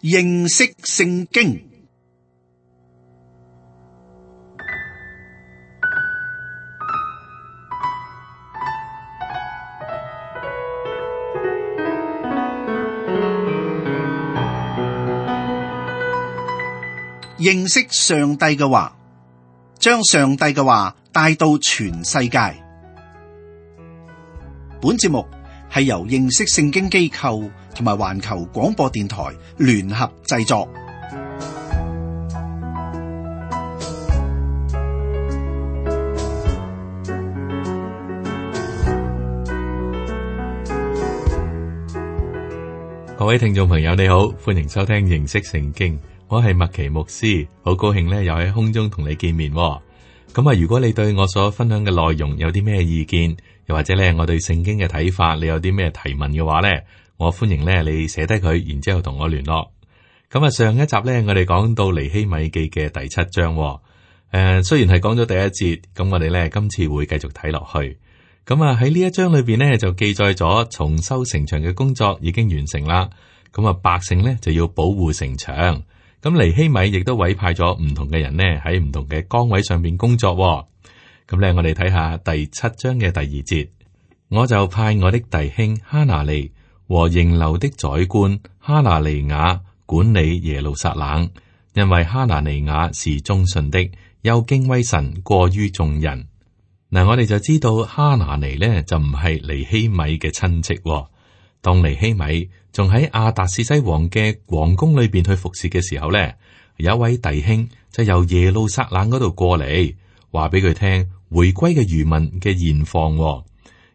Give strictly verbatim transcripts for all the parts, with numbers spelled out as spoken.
認識聖經。認識上帝嘅話，將上帝嘅話帶到全世界。本節目係由認識聖經機構同埋環球廣播電台聯合製作。各位聽眾朋友，你好，歡迎收聽認識聖經。我係麥奇牧師，好高興咧，又喺空中同你見面。咁啊，如果你對我所分享嘅內容有啲咩意見，又或者咧我對聖經嘅睇法，你有啲咩提問嘅話咧，我歡迎咧你寫低佢，然之後同我聯絡。咁啊，上一集咧我哋講到尼希米記嘅第七章，誒、呃，雖然係講咗第一節，咁我哋咧今次會繼續睇落去。咁啊喺呢一章裏邊咧就記載咗重修城牆嘅工作已經完成啦。咁啊，百姓咧就要保護城牆。咁尼希米亦都委派咗唔同嘅人呢喺唔同嘅崗位上邊工作。咁咧，我哋睇下第七章嘅第二節，我就派我的弟兄哈拿尼和營樓的宰官哈拿尼雅管理耶路撒冷，因為哈拿尼雅是忠信的，又敬畏神過於眾人。嗱，我哋就知道哈拿尼呢就唔係尼希米嘅親戚。當尼希米仲喺亞達薛西王嘅皇宮裏邊去服侍嘅時候咧，有一位弟兄就由耶路撒冷嗰度過嚟，話俾佢聽回歸嘅餘民嘅現況。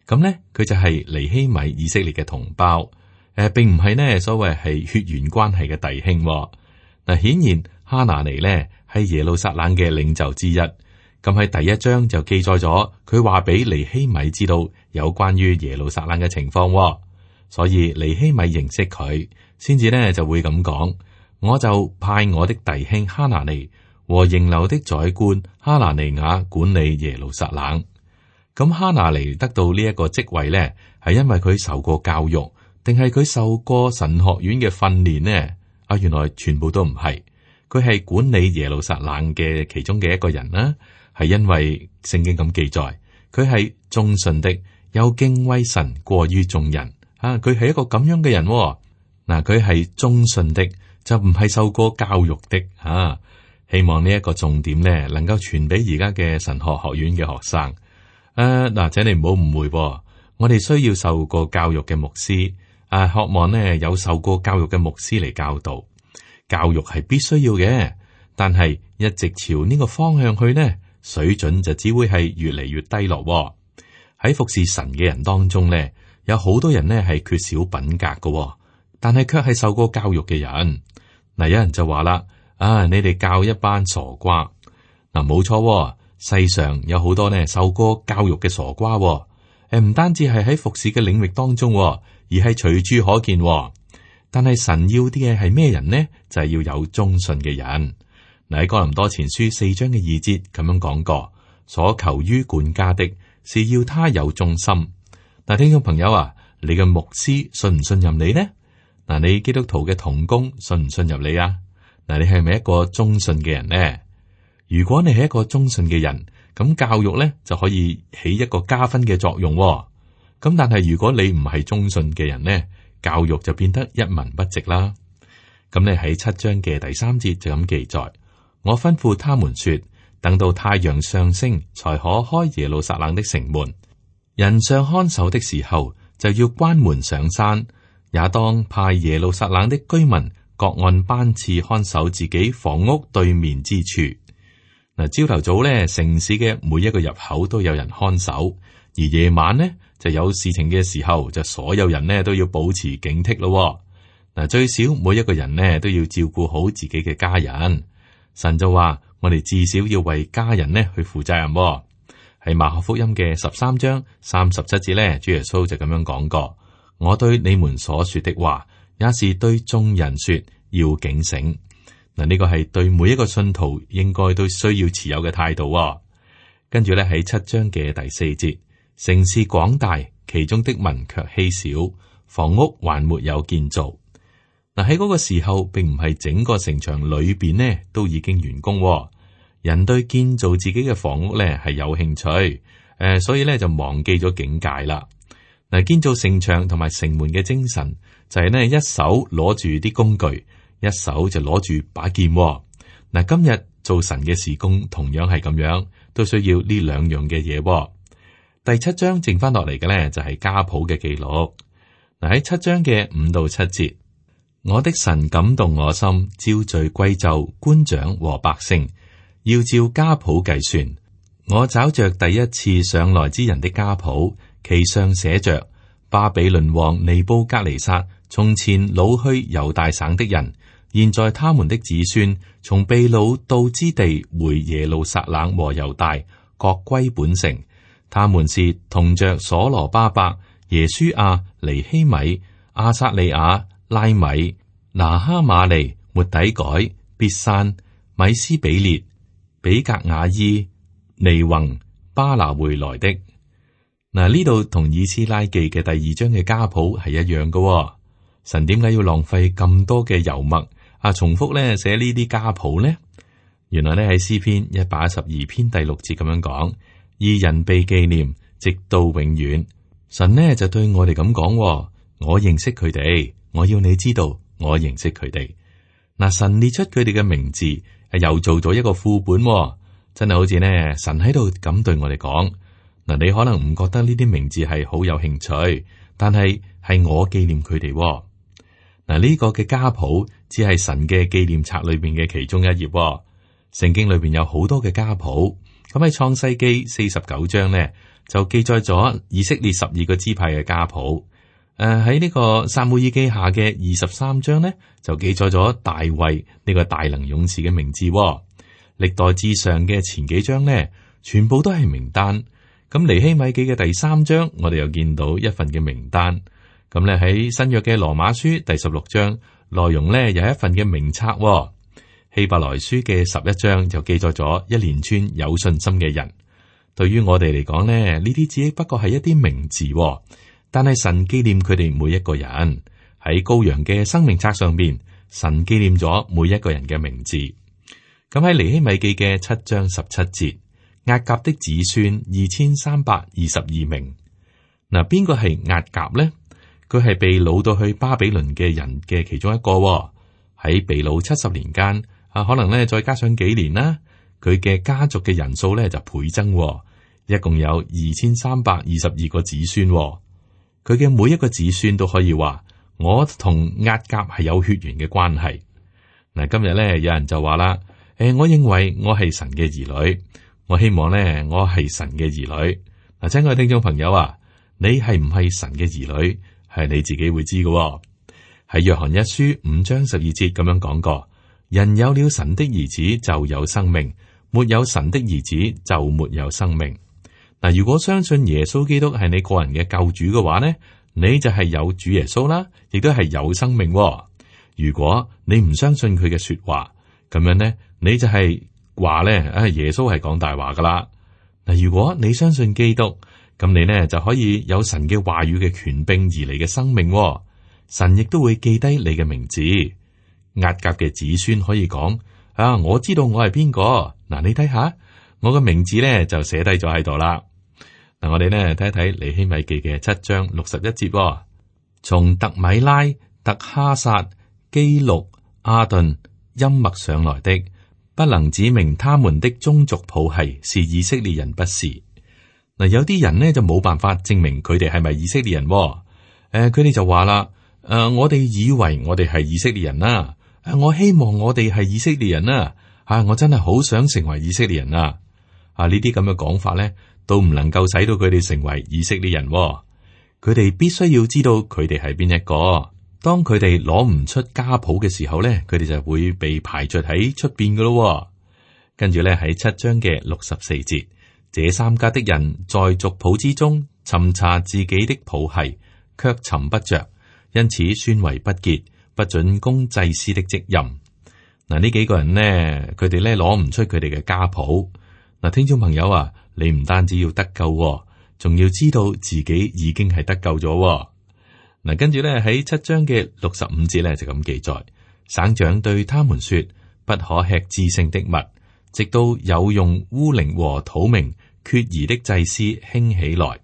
咁咧，佢就係尼希米以色列嘅同胞，誒、呃，並唔係呢所謂係血緣關係嘅弟兄。嗱，顯然哈拿尼咧係耶路撒冷嘅領袖之一。咁喺第一章就記載咗佢話俾尼希米知道有關於耶路撒冷嘅情況。所以尼希米認識佢，先至呢就會咁講。我就派我的弟兄哈拿尼和營樓的宰官哈拿尼雅管理耶路撒冷。咁哈拿尼得到呢一個職位呢，係因為佢受過教育，定係佢受過神學院嘅訓練呢？啊，原來全部都唔係，佢係管理耶路撒冷嘅其中嘅一個人啦。係因為聖經咁記載，佢係忠信的，又敬畏神過於眾人。啊！佢係一個咁樣嘅人。嗱，佢係忠信的，就唔係受過教育的。啊，希望呢一個重點咧，能夠傳俾而家嘅神學學院嘅學生。誒，嗱，請你唔好誤會，我哋需要受過教育嘅牧師，誒，渴望呢有受過教育嘅牧師嚟教導。教育係必須要嘅，但係一直朝呢個方向去呢，水準就只會係越嚟越低落。喺服侍神嘅人當中咧，有好多人呢係缺少品格嘅，但係卻係受過教育嘅人。嗱，有人就話啦，啊，你哋教一班傻瓜。嗱，冇錯，世上有好多呢受過教育嘅傻瓜。誒，唔單止係喺服侍嘅領域當中，而係隨處可見。但係神要啲嘅係咩人呢？就係要有忠信嘅人。嗱，喺哥林多前書四章嘅二節咁樣講過，所求於管家的是要他有忠心。嗱，聽眾朋友啊，你嘅牧師信唔信任你呢？嗱，你基督徒嘅同工信唔信任你啊？嗱，你係咪一個忠信嘅人呢？如果你係一個忠信嘅人，咁教育咧就可以起一個加分嘅作用。咁但係如果你唔係忠信嘅人呢，教育就變得一文不值啦。咁你喺七章嘅第三節就咁記載，我吩咐他們說，等到太陽上升，才可開耶路撒冷的城門。人上看守的時候，就要關門上山，也當派耶路撒冷的居民各按班次看守自己房屋對面之處。嗱，朝頭早咧，城市嘅每一個入口都有人看守，而夜晚呢，就有事情嘅時候，就所有人呢都要保持警惕咯。嗱，最少每一個人呢都要照顧好自己嘅家人。神就話，我哋至少要為家人呢去負責任。喺馬可福音嘅十三章三十七節咧，主耶穌就咁樣講過：我對你們所說的話，也是對眾人說，要警醒。嗱，呢個係對每一個信徒應該都需要持有嘅態度。跟住咧喺七章嘅第四節，城市廣大，其中的民卻稀少，房屋還沒有建造。嗱，喺嗰個時候，並唔係整個城牆裏邊呢都已經完工。人對建造自己嘅房屋咧係有興趣，誒、呃，所以咧就忘記咗境界啦。嗱，建造城牆同埋城門嘅精神就係呢：一手攞住啲工具，一手就攞住把劍。嗱，今日做神嘅事工同樣係咁樣，都需要呢兩樣嘅嘢。第七章剩翻落嚟嘅咧就係家譜嘅記錄。嗱，喺七章嘅五到七節，我的神感動我心，招聚貴冑官長和百姓，要照家譜計算。我找着第一次上來之人的家譜，其上寫着巴比倫王尼布甲尼撒從前擄去猶大省的人，現在他們的子孫從被擄到之地回耶路撒冷和猶大，各歸本城。他們是同着所羅巴伯、耶書亞、尼希米、亞撒利亞、拉米、拿哈馬利、末底改、別散、米斯比列、比格雅伊、尼宏、巴拿回來的。嗱，呢度同以斯拉記嘅第二章嘅家譜係一樣嘅、哦。神點解要浪費咁多嘅油墨啊，重複咧寫呢啲家譜呢？原來咧喺詩篇一百一十二篇第六節咁樣講，義人被紀念直到永遠。神呢就對我哋咁講，我認識佢哋，我要你知道我認識佢哋。嗱，神列出佢哋嘅名字，又做咗一個副本、哦，真係好似呢神喺度咁對我哋講。嗱，你可能唔覺得呢啲名字係好有興趣，但係係我紀念佢哋。嗱，呢個嘅家譜只係神嘅紀念冊裏邊嘅其中一頁。聖經裏邊有好多嘅家譜，咁喺創世記四十九章呢，就記載咗以色列十二個支派嘅家譜。誒，喺呢個撒母耳記下嘅二十三章呢，就記載咗大衛呢個大能勇士嘅名字。歷代志上嘅前幾章呢，全部都係名單。咁尼希米記嘅第三章，我哋又見到一份嘅名單。咁咧喺新約嘅羅馬書第十六章，內容咧有一份嘅名冊。希伯來書嘅十一章就記載咗一連串有信心嘅人。對於我哋嚟講咧，呢啲只不過係一啲名字，但係神紀念佢哋每一個人。喺羔羊嘅生命冊上邊，神紀念咗每一個人嘅名字。咁喺尼希米記嘅七章十七節，押甲的子孫二千三百二十二名。嗱，邊個係押甲咧？佢係被擄到去巴比倫嘅人嘅其中一個。喺被擄七十年間。啊，可能咧再加上幾年啦，佢嘅家族嘅人數咧就倍增，一共有二千三百二十二個子孫。佢嘅每一個子孫都可以話，我同押甲係有血緣嘅關係。嗱，今日咧有人就話啦，誒，我認為我係神嘅兒女，我希望咧我係神嘅兒女。嗱，親愛嘅聽眾朋友啊，你係唔係神嘅兒女，係你自己會知嘅。喺約翰一書五章十二節咁樣講過。人有了神的兒子就有生命，沒有神的兒子就沒有生命。嗱，如果相信耶穌基督係你個人嘅救主嘅話呢，你就係有主耶穌啦，亦都係有生命。如果你唔相信佢嘅說話，咁樣呢，你就係話呢，啊，耶穌係講大話噶啦。嗱，如果你相信基督，咁你呢就可以有神嘅話語嘅權柄而嚟嘅生命。神亦都會記低你嘅名字。押甲嘅子孫可以講啊，我知道我係邊個。嗱，你睇下我嘅名字咧就寫低咗喺度啦。嗱，我哋咧睇一睇尼希米記嘅七章六十一節，從特米拉、特哈撒、基錄、阿頓、音麥上來的，不能指明他們的宗族譜系是以色列人，不是。嗱，有啲人呢就冇辦法證明佢哋係咪以色列人。誒、呃，佢哋就話啦，誒、呃，我哋以為我哋係以色列人啦。我希望我哋係以色列人啊！啊，我真係好想成為以色列人啊！啊，呢啲咁嘅講法咧，都唔能夠使到佢哋成為以色列人。佢哋必須要知道佢哋係邊一個。當佢哋攞唔出家譜嘅時候咧，佢哋就會被排除喺出邊噶咯。跟住咧喺七章嘅六十四節，這三家的人在族譜之中尋查自己的譜系，卻尋不着，因此宣為不潔。不准供祭司的職任。嗱，呢幾個人呢，佢哋咧攞唔出佢哋嘅家譜。嗱，聽眾朋友啊，你唔單止要得救，仲要知道自己已經係得救咗。嗱，跟住咧喺七章嘅六十五節咧就咁記載，省長對他們說：不可吃至聖的物，直到有用烏靈和土明決疑的祭司興起來。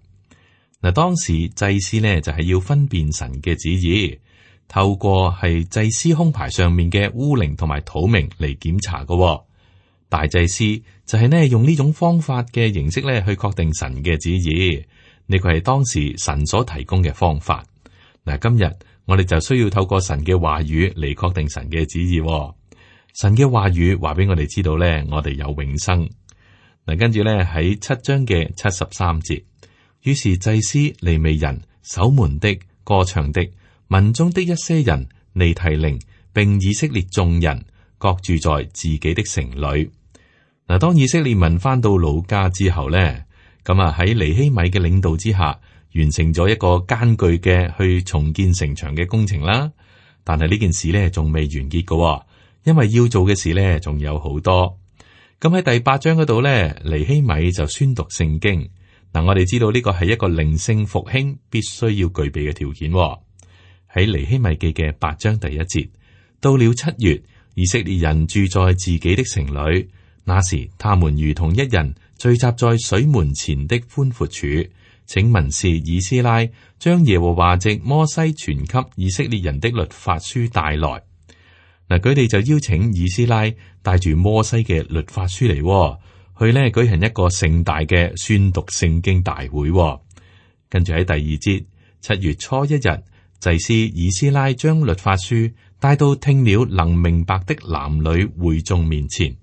嗱，當時祭司呢就係要分辨神嘅旨意，透過係祭司胸牌上面嘅烏靈同埋土明嚟檢查嘅。大祭司就係呢用呢種方法嘅形式咧去確定神嘅旨意，呢個係當時神所提供嘅方法。嗱，今日我哋就需要透過神嘅話語嚟確定神嘅旨意。神嘅話語話俾我哋知道咧，我哋有永生。嗱，跟住咧喺七章嘅七十三節，於是祭司、利未人、守門的、歌唱的、民中的一些人、尼提寧並以色列眾人，各住在自己的城裏。嗱，當以色列民翻到老家之後咧，咁啊喺尼希米嘅領導之下，完成咗一個艱巨嘅去重建城牆嘅工程啦。但係呢件事咧仲未完結嘅，因為要做嘅事咧仲有好多。咁喺第八章嗰度咧，尼希米就宣讀聖經。嗱，我哋知道呢個係一個靈性復興必須要具備嘅條件。喺尼希米記嘅八章第一節，到了七月，以色列人住在自己的城裏，那時他們如同一人聚集在水門前的寬闊處，請文士以斯拉將耶和華藉摩西傳給以色列人的律法書帶來。嗱，佢哋就邀請以斯拉帶住摩西嘅律法書嚟，去呢舉行一個盛大嘅宣讀聖經大會。跟住喺第二節，七月初一日，祭司以斯拉將律法書帶到聽了能明白的男女會眾面前。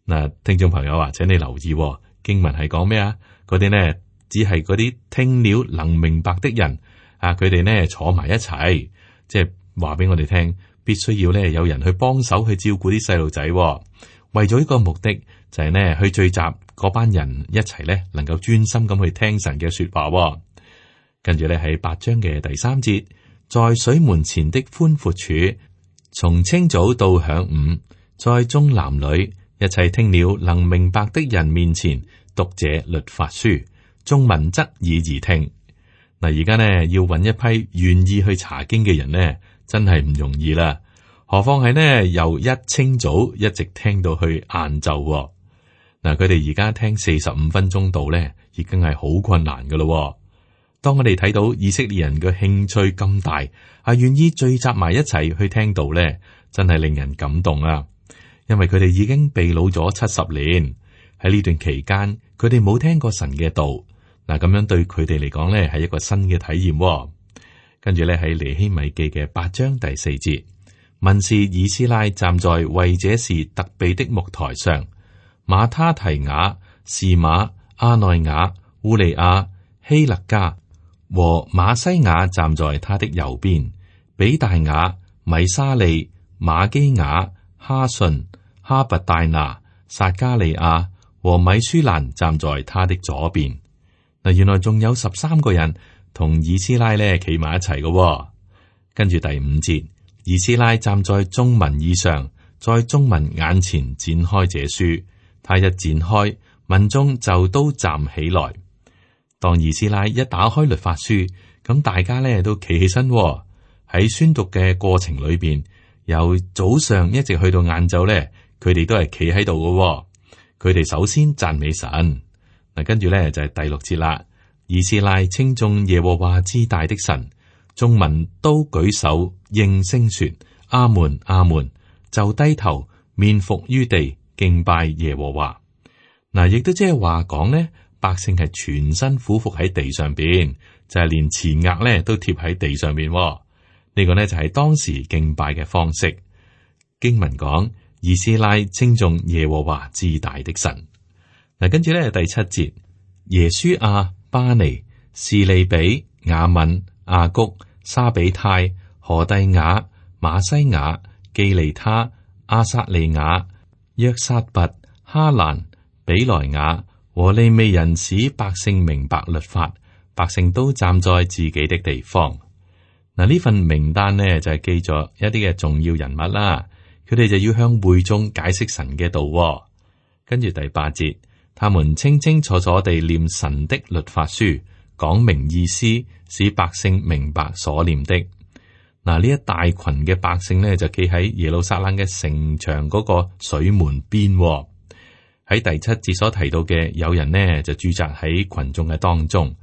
嗱，聽眾朋友啊，請你留意經文係講咩啊？嗰啲呢只係嗰啲聽了能明白的人啊，佢哋呢坐埋一齊，即係話俾我哋聽，必須要呢有人去幫手去照顧啲細路仔。為咗呢個目的，就係呢去聚集嗰班人一齊呢，能夠專心咁去聽神嘅說話。跟住呢喺八章嘅第三節，在水門前的寬闊處，從清早到晌午，在眾男女一齊聽了能明白的人面前讀這律法書，眾民側耳而聽。嗱，而家呢要揾一批願意去查經嘅人呢，真係唔容易啦。何況係呢由一清早一直聽到去晏晝。嗱，佢哋而家聽四十五分鐘度呢，已經係好困難噶咯。當我哋睇到以色列人嘅興趣咁大，係願意聚集埋一齊去聽道呢，真係令人感動啊！因為佢哋已經被擄咗七十年，喺呢段期間，佢哋冇聽過神嘅道。嗱，咁樣對佢哋嚟講呢，係一個新嘅體驗。跟住咧喺尼希米記嘅八章第四節，文士以斯拉站在為這事特備的木台上，馬他提雅、士馬、阿內雅、烏利亞、希勒家和馬西亞站在他的右邊，比大雅、米沙利、馬基雅、哈順、哈拔大拿、撒加利亞和米舒蘭站在他的左邊。嗱，原來仲有十三個人同以斯拉咧企埋一齊嘅。跟住第五節，以斯拉站在眾民以上，在眾民眼前展開這書，他一展開，民眾就都站起來。當以斯拉一打開律法書，咁大家咧都企起身喺宣讀嘅過程裏邊，由早上一直去到晏晝咧，佢哋都係企喺度嘅。佢哋首先讚美神。嗱，跟住咧就係第六節啦。以斯拉稱頌耶和華至大的神，眾民都舉手應聲說阿門阿門，就低頭面伏於地敬拜耶和華。嗱，亦都即係話講呢，百姓係全身俯伏喺地上邊，就係、是、連前額咧都貼喺地上邊。呢、這個呢就係當時敬拜嘅方式。經文講以斯拉稱頌耶和華至大的神。嗱，跟住咧第七節，耶書亞、巴尼、士利比、雅敏、亞谷、沙比泰、何第雅、馬西雅、基利他、阿撒利雅、約撒拔、哈蘭、比萊雅和利未人，使百姓明白律法，百姓都站在自己的地方。嗱，呢份名單呢就係記咗一啲嘅重要人物啦，佢哋就要向會眾解釋神嘅道。跟住第八節，他們清清楚楚地念神的律法書，講明意思，使百姓明白所念的。嗱，呢一大群嘅百姓呢，就企喺耶路撒冷嘅城牆嗰個水門邊。喺第七節所提到嘅，有人呢就駐紮喺群眾嘅當中。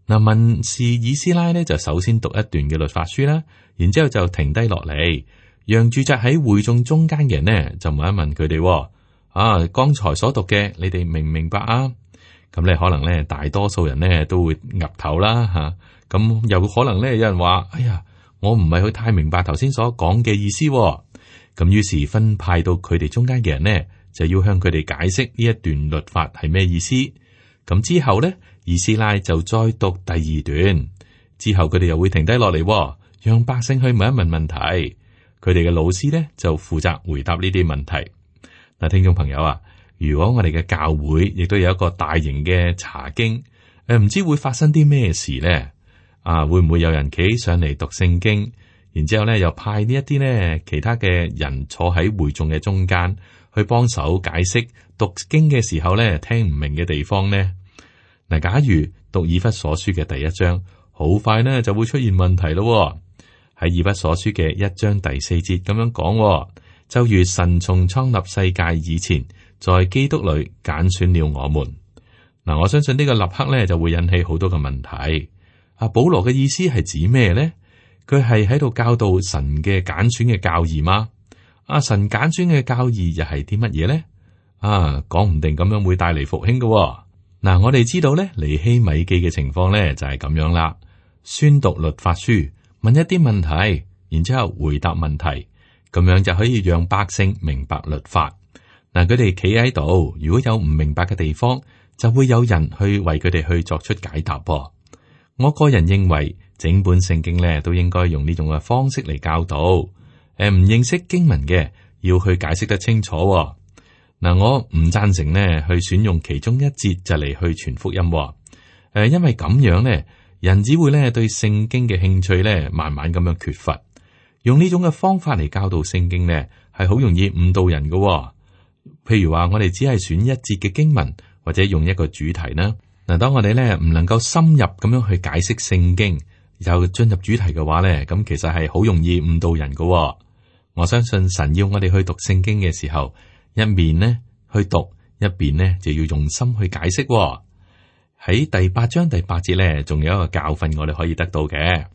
嗱，文士以斯拉呢，就首先讀一段嘅律法書啦，然之後就停低落嚟，讓駐紮喺會眾中間嘅人呢，就問一問佢哋：啊，剛才所讀嘅，你哋明唔明白啊？咁咧可能咧，大多數人呢都會岌頭啦吓。咁又可能咧，有人話：哎呀，我唔係去太明白頭先所講嘅意思。咁於是分派到佢哋中間嘅人呢，就要向佢哋解釋呢一段律法係咩意思。咁之後咧，以斯拉就再讀第二段，之後佢哋又會停低落嚟，讓百姓去問一問問題。佢哋嘅老師咧就負責回答呢啲問題。嗱，聽眾朋友啊，如果我哋嘅教會亦都有一個大型嘅查經，誒，唔知會發生啲咩事咧？啊，會唔會有人企上嚟讀聖經，然之後咧又派呢一啲咧其他嘅人坐喺會眾嘅中間去幫手解釋讀經嘅時候咧聽唔明嘅地方呢？嗱，假如讀以弗所書嘅第一章，好快呢就會出現問題咯。喺以弗所書嘅一章第四節咁樣講，就如神從創立世界以前，在基督裏揀選了我們。嗱，我相信呢個立刻咧就會引起好多嘅問題。阿保羅嘅意思係指咩咧？佢係喺度教導神嘅揀選嘅教義嗎？阿神揀選嘅教義又係啲乜嘢咧？啊，講唔定咁樣會帶嚟復興嘅。嗱，我哋知道咧，尼希米記嘅情況咧就係咁樣啦。宣讀律法書，問一啲問題，然之後回答問題，咁樣就可以讓百姓明白律法。嗱，佢哋企喺度，如果有唔明白嘅地方，就會有人去為佢哋去作出解答噃。我個人認為，整本聖經咧都應該用呢種嘅方式嚟教導。誒，唔認識經文嘅，要去解釋得清楚。嗱，我唔贊成呢去選用其中一節就嚟去傳福音。誒，因為咁樣呢，人只會咧對聖經嘅興趣咧慢慢咁樣缺乏。用呢種嘅方法嚟教導聖經呢，係好容易誤導人嘅。譬如話，我哋只係選一節嘅經文，或者用一個主題啦。嗱，當我哋咧唔能夠深入咁樣去解釋聖經，又進入主題嘅話咧，咁其實係好容易誤導人嘅。我相信神要我哋去讀聖經嘅時候，一面呢去讀，一邊呢就要用心去解釋。喺第八章第八節咧，仲有一個教訓我哋可以得到嘅。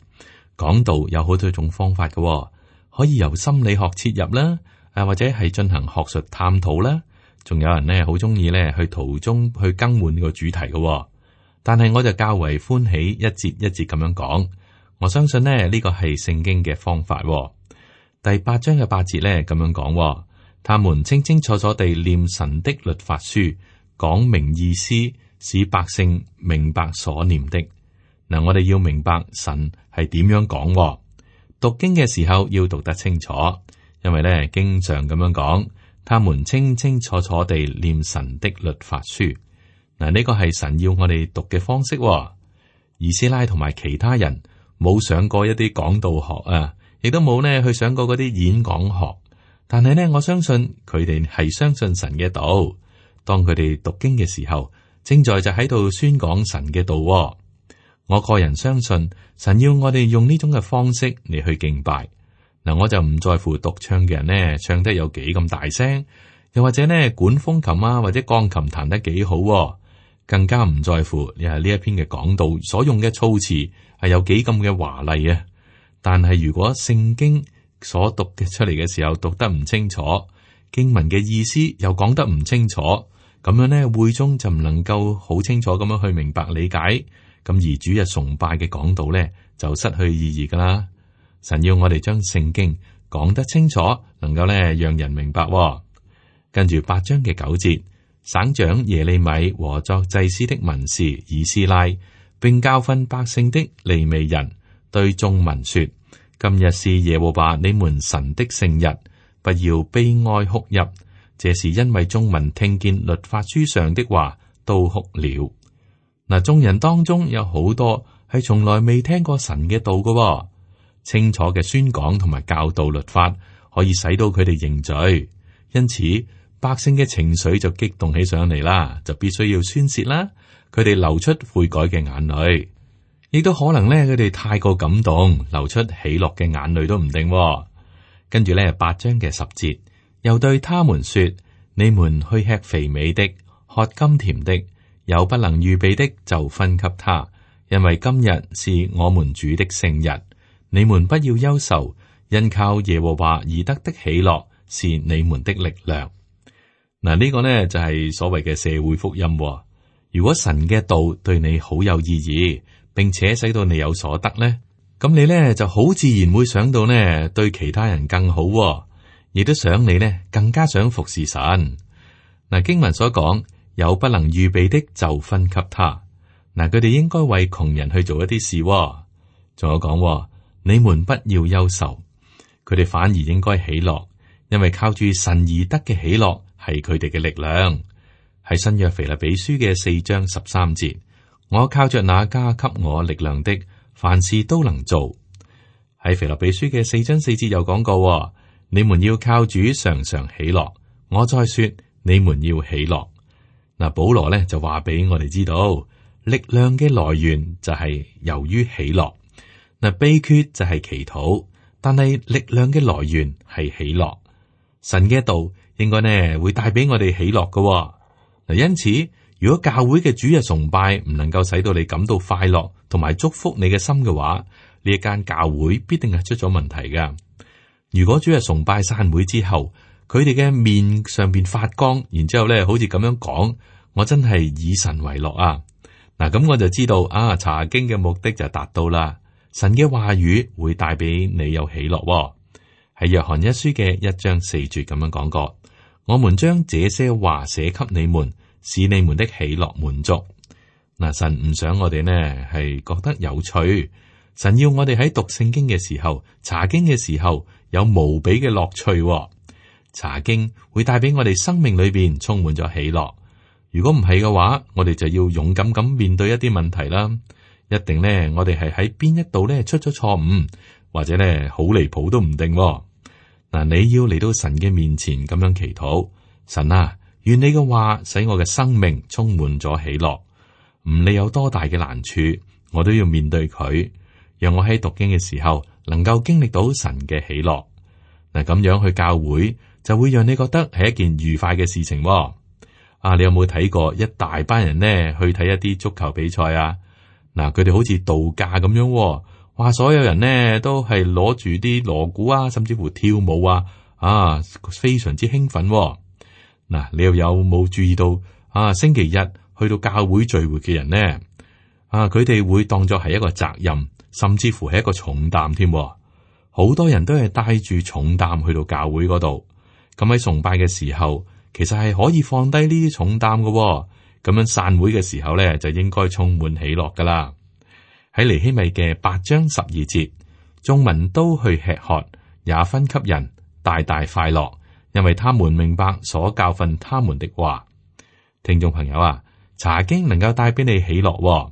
講道有好多種方法嘅，可以由心理學切入啦，啊或者係進行學術探討啦。仲有人呢好中意咧去途中去更換個主題嘅，但係我就較為歡喜一節一節咁樣講。我相信呢呢個係聖經嘅方法。第八章嘅八節咧咁樣講，他們清清楚楚地念神的律法書，講明意思，使百姓明白所念的。嗱，我哋要明白神係點樣講，讀經嘅時候要讀得清楚，因為咧經常咁樣講。他們清清楚楚地念神的律法書，嗱，呢個係神要我哋讀嘅方式。以斯拉同埋其他人冇上過一啲講道學啊，亦都冇呢去上過嗰啲演講學，但係呢，我相信佢哋係相信神嘅道。當佢哋讀經嘅時候，正在就喺度宣講神嘅道。我個人相信神要我哋用呢種嘅方式嚟去敬拜。嗱，我就唔在乎獨唱嘅人呢，唱得有幾咁大聲，又或者呢管風琴啊或者鋼琴彈得幾好，更加唔在乎你係呢一篇嘅講道所用嘅措辭係有幾咁嘅華麗啊。但係如果聖經所讀嘅出嚟嘅時候讀得唔清楚，經文嘅意思又講得唔清楚，咁樣呢會中就唔能夠好清楚咁樣去明白理解，咁而主日崇拜嘅講道呢就失去意義噶啦。神要我哋將聖經講得清楚，能夠咧讓人明白。跟住八章嘅九節，省長耶利米和作祭司的文士以斯拉，並教訓百姓的利未人，對眾民說：今日是耶和華你們神的聖日，不要悲哀哭泣。這是因為眾民聽見律法書上的話，都哭了。嗱，眾人當中有好多係從來未聽過神嘅道嘅。清楚嘅宣講同埋教導律法，可以使到佢哋認罪，因此百姓嘅情緒就激動起上嚟啦，就必須要宣洩啦。佢哋流出悔改嘅眼淚。亦都可能咧佢哋太過感動，流出喜樂嘅眼淚都唔定。跟住咧八章嘅十節，又對他們說：你們去吃肥美的，喝甘甜的，有不能預備的就分給他，因為今日是我們主的聖日。你們不要憂愁，因靠耶和華而得的喜樂是你們的力量。嗱，呢個呢就係所謂嘅社會福音。如果神嘅道對你好有意義，並且使到你有所得呢，咁你呢就好自然會想到呢對其他人更好，亦都想你呢更加想服侍神。嗱，經文所講有不能預備的就分給他。嗱，佢哋應該為窮人去做一啲事。仲有講，你們不要憂愁，佢哋反而應該喜樂，因為靠住神而得嘅喜樂係佢哋嘅力量。喺新約腓立比書嘅四章十三節，我靠着那加給我力量的，凡事都能做。喺腓立比書嘅四章四節又講過，你們要靠主常常喜樂。我再說，你們要喜樂。嗱，保羅咧就話俾我哋知道，力量嘅來源就係由於喜樂。嗱，秘訣就係祈禱，但係力量嘅來源係喜樂。神嘅道應該呢會帶俾我哋喜樂嘅。嗱，因此如果教會嘅主日崇拜唔能夠使到你感到快樂同埋祝福你嘅心嘅話，呢一間教會必定係出咗問題噶。如果主日崇拜散會之後，佢哋嘅面上邊發光，然之後咧好似咁樣講，我真係以神為樂啊！嗱，咁我就知道啊，查經嘅目的就達到啦。神嘅話語會帶俾你有喜樂喎。喺約翰一書嘅一章四節咁樣講過，我們將這些話寫給你們，使你們的喜樂滿足。嗱，神唔想我哋呢係覺得有趣，神要我哋喺讀聖經嘅時候、查經嘅時候有無比嘅樂趣喎。查經會帶俾我哋生命裏邊充滿咗喜樂。如果唔係嘅話，我哋就要勇敢咁面對一啲問題啦。一定呢，我哋係喺邊一度呢出咗錯誤，或者呢好離譜都唔定喎。嗱，你要嚟到神嘅面前咁樣祈禱，神啊，願你嘅話使我嘅生命充滿咗喜樂。唔理有多大嘅難處，我都要面對佢，讓我喺讀經嘅時候能夠經歷到神嘅喜樂。嗱，咁樣去教會就會讓你覺得係一件愉快嘅事情喎。啊，你有冇睇過一大班人呢去睇一啲足球比賽啊？嗱，佢哋好似度假咁樣喎，話所有人呢都係攞住啲鑼鼓啊，甚至乎跳舞啊，啊，非常之興奮喎。嗱，你又有冇注意到啊？星期日去到教會聚會嘅人呢，啊，佢哋會當作係一個責任，甚至乎係一個重擔添。好多人都係帶住重擔去到教會嗰度，咁喺崇拜嘅時候，其實係可以放低呢啲重擔嘅喎。咁樣散會嘅時候咧，就應該充滿喜樂噶啦。喺尼希米嘅八章十二節，眾民都去吃喝，也分給人，大大快樂，因為他們明白所教訓他們的話。聽眾朋友啊，查經能夠帶俾你喜樂喎。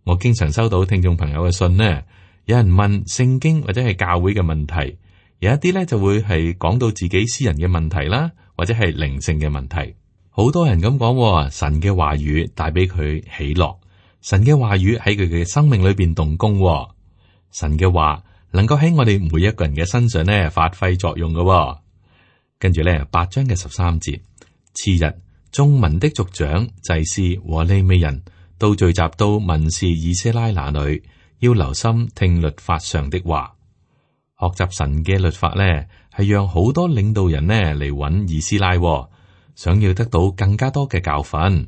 我經常收到聽眾朋友嘅信呢，有人問聖經或者係教會嘅問題，有一啲咧就會係講到自己私人嘅問題啦，或者係靈性嘅問題。好多人咁講，神嘅話語帶俾佢喜樂，神嘅話語喺佢嘅生命裏邊動工，神嘅話能夠喺我哋每一個人嘅身上咧發揮作用嘅。跟住咧八章嘅十三節，次日眾民的族長、祭司和利未人都聚集到文士以斯拉那裏，要留心聽律法上的話。學習神嘅律法咧，係讓好多領導人呢嚟揾以斯拉。想要得到更加多嘅教訓，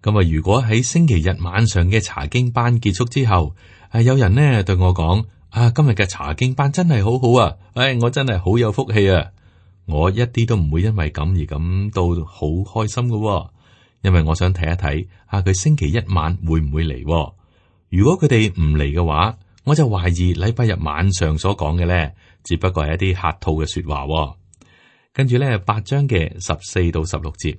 咁啊，如果喺星期日晚上嘅查經班結束之後，係有人呢對我講啊，今日嘅查經班真係好好啊，唉，我真係好有福氣啊，我一啲都唔會因為咁而感到好開心噶，因為我想睇一睇啊，佢星期一晚會唔會嚟？如果佢哋唔嚟嘅話，我就懷疑禮拜日晚上所講嘅咧，只不過係一啲客套嘅說話。跟住咧，八章嘅十四到十六節，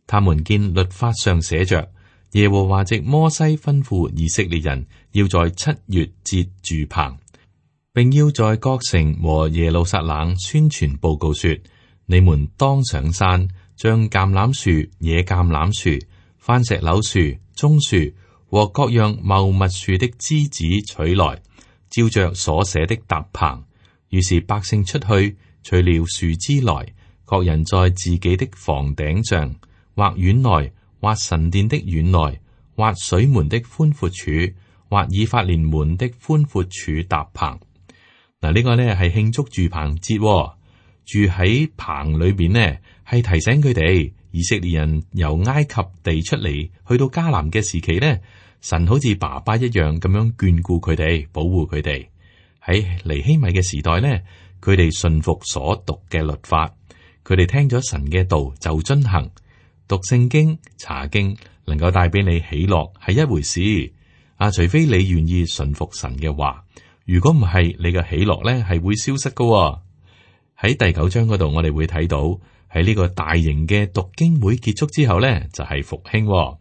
他們見律法上寫着，耶和華藉摩西吩咐以色列人要在七月節住棚，並要在各城和耶路撒冷宣傳報告說：你們當上山，將橄欖樹、野橄欖樹、番石榴樹、棕樹和各樣茂密樹的枝子取來，照着所寫的搭棚。於是百姓出去取了樹枝來，各人在自己的房頂上，或院內，或神殿的院內，或水門的寬闊處，或以法蓮門的寬闊處搭棚。嗱，呢個呢係慶祝住棚節，哦，住喺棚裏邊呢係提醒佢哋以色列人由埃及地出嚟，去到迦南嘅時期呢，神好似爸爸一樣咁樣眷顧佢哋，保護佢哋。喺尼希米嘅時代呢，佢哋信服所讀嘅律法，佢哋聽咗神嘅道就遵行。讀聖經、查經能夠帶俾你喜樂係一回事，啊，除非你願意順服神嘅話，如果唔係，你嘅喜樂咧係會消失噶喎。喺第九章嗰度，我哋會睇到喺呢個大型嘅讀經會結束之後咧，就係復興喎。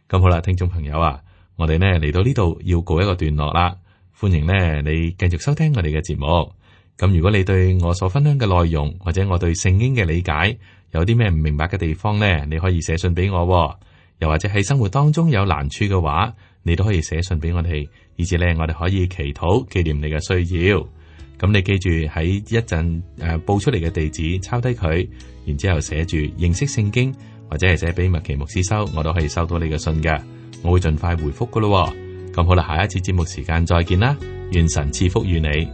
咁好啦，聽眾朋友啊，我哋呢嚟到呢度要告一個段落啦。歡迎呢你繼續收聽我哋嘅節目。咁如果你對我所分享嘅內容，或者我對聖經嘅理解有啲咩唔明白嘅地方呢，你可以寫信俾我喎。又或者喺生活當中有難處嘅話，你都可以寫信俾我哋，以至呢我哋可以祈禱紀念你嘅需要。咁你記住喺一陣誒報出嚟嘅地址抄低佢，然之後寫住認識聖經，或者係寫俾麥奇牧師收，我都可以收到你嘅信嘅，我會盡快回覆噶咯。咁好啦，下一次節目時間再見啦，願神賜福於你。